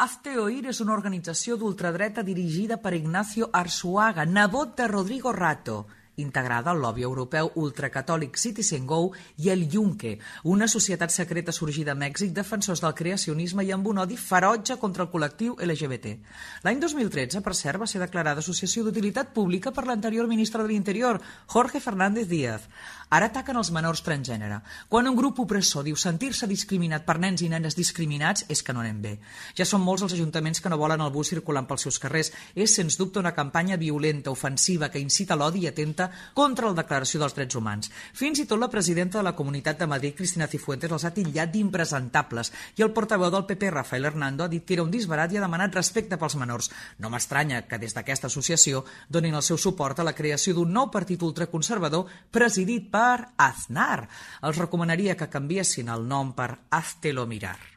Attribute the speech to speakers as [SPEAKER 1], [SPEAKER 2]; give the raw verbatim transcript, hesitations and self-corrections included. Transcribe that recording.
[SPEAKER 1] Hazte Oír és una organització d'ultradreta dirigida per Ignacio Arzuaga, nebot de Rodrigo Rato, integrada al lobby europeu ultracatòlic CitizenGo i el Yunque, una societat secreta sorgida a Mèxic, defensors del creacionisme i amb un odi ferotge contra el col·lectiu L G B T. L'any dos mil tretze, per cert, va ser declarada associació d'utilitat pública per l'anterior ministre de l'Interior, Jorge Fernández Díaz. Ara ataquen els menors transgènere. Quan un grup opressor diu sentir-se discriminat per nens i nenes discriminats, és que no anem bé. Ja són molts els ajuntaments que no volen el bus circulant pels seus carrers. És, sens dubte, una campanya violenta, ofensiva, que incita l'odi i atenta contra la Declaració dels Drets Humans. Fins i tot la presidenta de la Comunitat de Madrid, Cristina Cifuentes, els ha titllat d'impresentables i el portaveu del P P, Rafael Hernando, ha dit que era un disbarat i ha demanat respecte pels menors. No m'estranya que des d'aquesta associació donin el seu suport a la creació d'un nou partit ultraconservador presidit per Aznar. Els recomanaria que canviessin el nom per Háztelo Mirar.